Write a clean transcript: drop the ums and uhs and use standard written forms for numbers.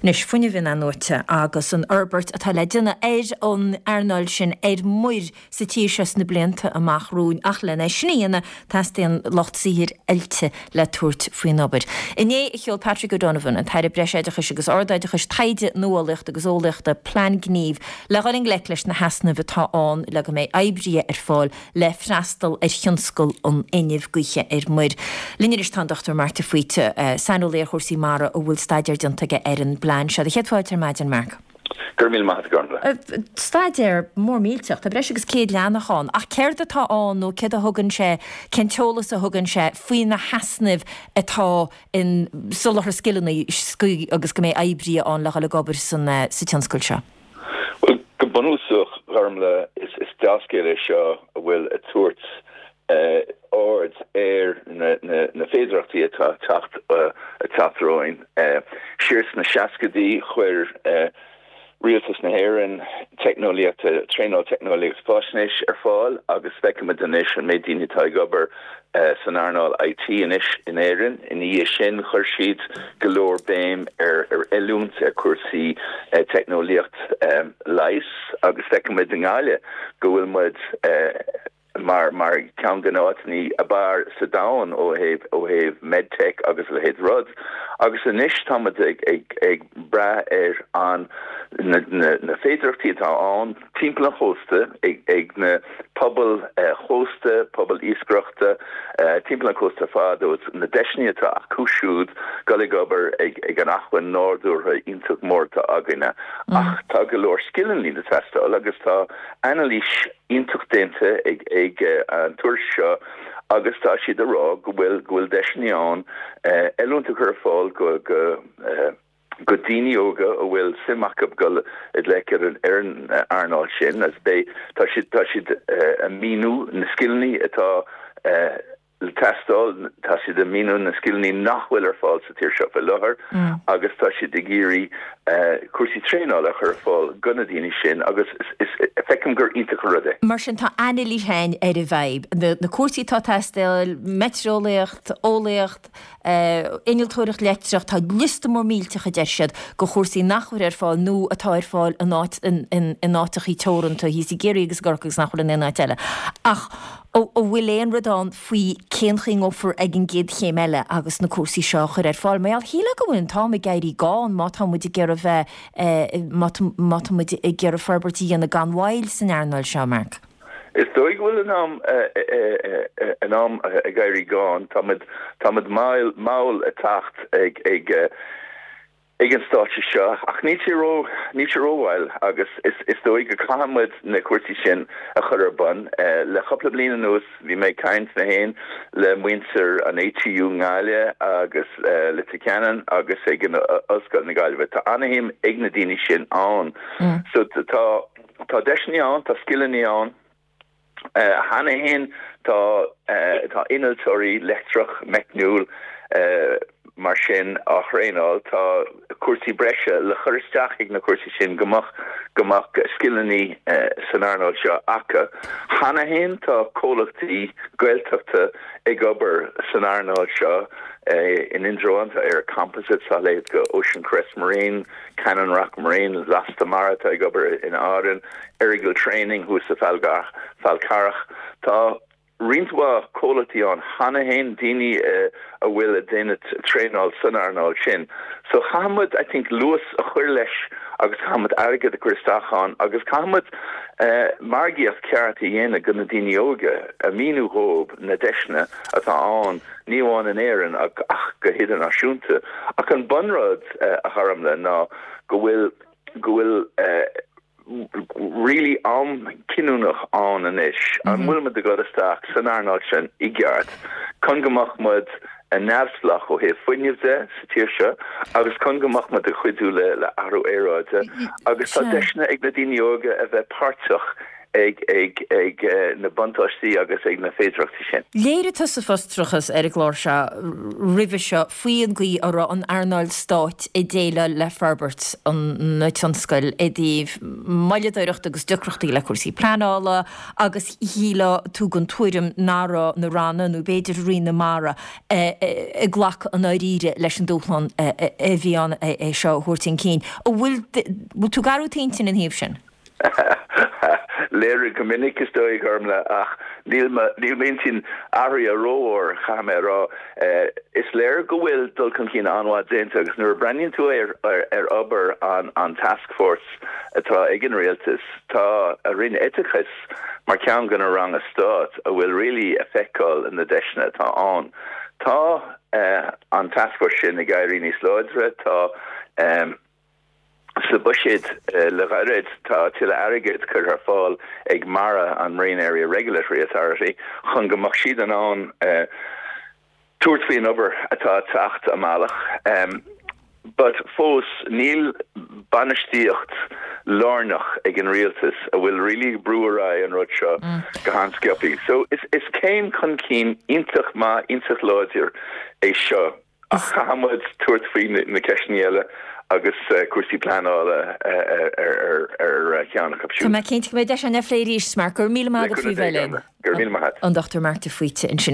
Anois, fuinneamh in-athnuaite agus an fhorbairt atá le déanamh ar an earnáil sin ar muir sa tír seo sna blianta amach romhainn ach lena sin a dhéanamh teastaíonn lucht saothair oilte le tabhairt faoin obair. Inné a sheol Patrick O'Donovan, an tAire Breisoideachais agus Ardoideachais, Taighde, Nuálaíochta agus Eolaíochta, plean gnímh le dhul i ngleic leis na heasnaimh atá ann le go mbeidh oibrithe ar fáil le freastal ar thionscal an fhuinnimh gaoithe ar muir. Linn anois tá an Dr Marc de Faoite, saineolaí ar chúrsaí mara a bhfuil staidéar déanta aige ar an bplean seo. Do chéad fáilte ar maidin, Marc. Go raibh míle maith agat, a Ghormfhlaith. Staidéar mór millteach, tá breis agus 100 leathanach ann, ach céard atá ann nó céard a thugann sé, cén t-eolas a thugann sé faoi na heasnaimh atá in soláthar scileanna agus go mbeidh oibrithe ann le dhul ag obair sa tionscal seo? Bhuel, go bunúsach, a Ghormfhlaith, is dea-scéal é seo a bhfuil ag tabhairt aird ar na féidearthachtaí atá ag teacht romhainn. Siar sna seascaidí, chuir Rialtas na hÉireann teicneolaíocht, traenáil teicneolaíocht faisnéis ar fáil agus feicimid anois an méid daoine atá ag obair san earnáil IT anois in Éirinn. Ina dhiaidh sin, chuir siad go leor béim ar oiliúint ar chúrsaí teicneolaíocht leighis agus feicimid i nGaillimh go bhfuil muid mar mar ceann de na áiteanna ab fhearr sa domhan ó thaobh ó thaobh medtech agus a leithéid rud agus anois tá muid ag ag ag brath ar an na na na féidearthachtaí atá ann timpeall an chósta ag ag na pobail chósta, pobail iascaireachta timpeall an chósta ar fad agus na deiseanna atá acu siúd dul ag obair ag ag an acmhainn nádúrtha iontach mór atá againne ach tá go leor scileanna le teastáil agus tá anailís iontach déanta ag an tuairisc seo agus tá siad ag rá go bhfuil go bhfuil deiseanna ann oiliúint a chur ar fáil go go go daoine óga a bhfuil suim acu dul i ngleic ar an ar an earnáil sin agus beidh tá siad tá siad ag míniú na scileanna atá le teastáil, tá siad ag míniú na scileanna nach bhfuil ar fáil sa tír seo faoi láthair agus tá siad ag iarraidh cúrsaí traenála a chur ar fáil do na daoine sin agus feicim gur iontach an rud é. Mar sin tá anailís ann ar an bhfadhb, na cúrsaí atá ag teastáil, meitrieolaíocht, eolaíocht, innealtóireacht leictreach, tá liosta mór millteach a deir siad de chúrsaí nach bhfuil ar fáil nó atá ar fáil in áit, in áiteachaí teoranta thíos i gCiarraí agus i gCorcaigh agus nach bhfuil in aon áit eile. Ach an bhfuil aon rud ann faoi cén chaoi a ngabhfar ag an gcéad chéim eile agus na cúrsaí seo a chur ar fáil? Mar gheall, shílfeá go bhfuil an t-am ag éirí gann má tá muid ag iarraidh bheith, má tá muid ag iarraidh forbairt a dhéanamh gan mhoill san earnáil seo, Mark. Is dóigh go bhfuil an am an am ag éirí gann. Tá muid tá muid mall mall ag teacht ag ag ag an stáitse seo ach níl sé ró níl sé rómhall agus is is dóigh go caithfidh muid na cúrsaí sin a chur ar bun. Le cúpla bliain anuas bhí mé ag caint mé féin le muintir an ATU i nGaillimh agus Leitir Ceanainn agus ag an Ollscoil na Gaillimhe. Tá ana-shuim ag na daoine sin ann. So tá Tá deiseanna ann, tá scileanna ann. Cheana féin tá tá innealtóirí leictreach, meicniúil mar sin á thraenáil. Tá cúrsaí breise le chur isteach ag na cúrsaí sin go mbeadh go mbeadh scileanna san earnáil seo acu. Cheana féin tá comhlachtaí Gaeltachta ag obair san earnáil seo in Indreabhán, tá ÉireComposites, tá a leithéid de Ocean Crest Marine, Cannon Rock Marine, Lasta Mara atá ag obair in Árainn, Errigal Training thuas sa Fhál Carrach. Tá roinnt mhaith comhlachtaí ann cheana féin, daoine a bhfuil ag déanamh traenáil san earnáil sin. So caithfidh muid I think luas a chur leis agus caithfidh muid airgead a chur isteach ann agus caithfidh muid margaíocht ceart a dhéanamh do na daoine óga, a míniú dhóibh na deiseanna atá ann. ní amháin in Éirinn ach go hidirnáisiúnta. Ach an bunrud, a Ghormfhlaith, ná go bhfuil, go bhfuil really am cinniúnach ann anois. An bhfuil muid ag dul isteach san earnáil sin i gceart chun go mbeadh muid neamhspleách ó thaobh fuinnimh de sa tír seo agus chun go mbeadh muid ag cuidiú le athrú aeráide agus tá deiseanna ag na daoine óga a bheith páirteach. ag ag ag na buntáistí agus ag na féidearthachtaí sin. Léirigh tusa frustrachas ar an gclár seo roimhe seo faoi an gcaoi a raibh an earnáil stáit ag déileáil le forbairt an tionscail i dtaobh moilleadóireachta agus deacrachtaí le cúrsaí pleanála agus shílfeá tú den tuairim nach raibh na ranna nó b'fhéidir Roinn na Mara ag glacadh i ndáiríre leis an dúshlán a bhí ann é seo a thabhairt chun cinn. An bhfuil tú ag athrú t'intinn ina thaobh sin? Léirigh go minic, is dóigh, a Ghormlaith, ach níl m'intinn athraithe rómhór, caithfidh mé a rá. Is léir go bhfuil dul chun cinn an-mhaith déanta agus nuair a breathnaíonn tú ar obair an taskforce atá ag an rialtas, tá a Roinn Oideachais mar cheann de na ranna stáit a bhfuil really ag feiceáil na deiseanna atá ann. Tá an taskforce sin ag éirí níos láidre, tá. Sa bhuiséad le gairid, tá tuilleadh airgid curtha ar fáil ag MARA, an Marine Area Regulatory Authority, chun go mbeadh siad in ann tabhairt faoin obair atá ag teacht a mbealach. But fós, níl bainistíocht lárnach ag an rialtas a bhfuil really ag brú ar aghaidh an rud seo go han-sciobtha. So is céim chun cinn iontach maith, iontach láidir é seo. Ach caithfidh muid tabhairt faoi na ceisteanna eile agus cúrsaí pleanála ar cheann acu siúd. Tá mé cinnte go mbeidh deis againn é a phlé arís, Mark. Go raibh míle maith agat faoi bheith linn. Go raibh míle maith agat. An Dr Mark de Faoite ansin.